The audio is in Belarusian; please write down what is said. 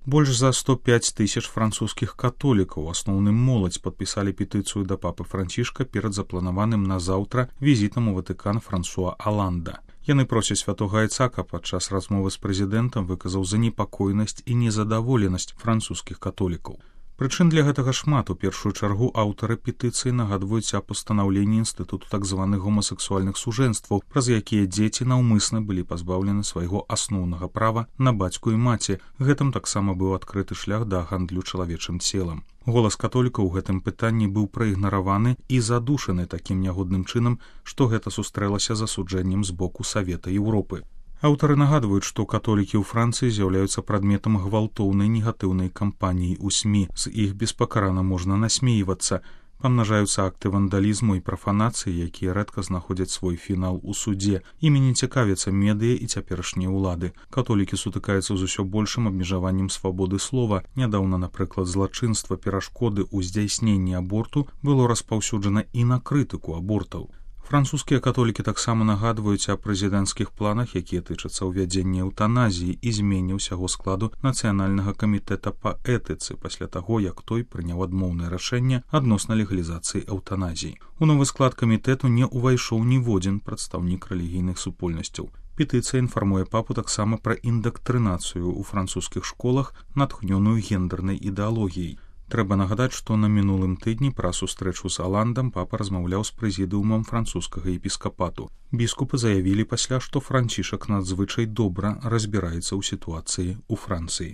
Больш за 105 тысяч французскіх католікаў, асноўным моладзь, падпісалі петыцыю да папы Францішка перад запланаваным на заўтра візітам у Ватыкан Франсуа Аланда. Яны просяць святога Ісака падчас размовы з прэзідэнтам выказаў занепакоенасць і незадаволенасць французскіх католікаў. Прычын для гэтага шмат. У першую чаргу аўтары петыцыі нагадваюць аб пастанаўленні інстытуту так званых гомасексуальных сужэнстваў, праз якія дзеці наўмысна былі пазбаўлены свайго асноўнага права на бацьку і маці. Гэтым таксама быў адкрыты шлях да гандлю чалавечым целам. Голас католікаў у гэтым пытанні быў праігнараваны і задушаны такім нягодным чынам, што гэта сустрэлася з асуджэннем з боку Савета Еўропы. Аўтары нагадваюць, што католікі ў Францыі з'яўляюцца прадметам гвалтоўнай негатыўнай кампаніі ў СМІ. З іх беспакарана можна насмейвацца. Памнажаюцца акты вандалізму і прафанацыі, якія рэдка знаходзяць свой фінал у судзе. Імі не цікавяцца медыя і цяперашнія ўлады. Католікі сутыкаюцца з усё большым абмежаваннем свабоды слова. Нядаўна, напрыклад, злачынства перашкоды ў здзяйсненні аборту было распаўсюджана і на крытыку абортаў. Французскія католікі таксама нагадваюць аб прэзідэнцкіх планах, якія тычацца ўвядзення эўтаназіі і змене ўсяго складу нацыянальнага камітэта па этыцы пасля таго, як той прыняў адмоўнае рашэнне адносна легалізацыі эўтаназіі. У новы склад камітэту не ўвайшоў ніводзін прадстаўнік рэлігійных супольнасцяў. Петыцыя інфармуе папу таксама пра індактрынацыю ў французскіх школах, натхнёную гендернай ідэалогіяй. Трэба нагадаць, што на мінулым тыдні пра сустрэчу з Аландам папа размаўляў з прэзідыумам французскага епіскапату. Біскупы заявілі пасля, што Францішак надзвычай добра разбіраецца ў сітуацыі ў Францыі.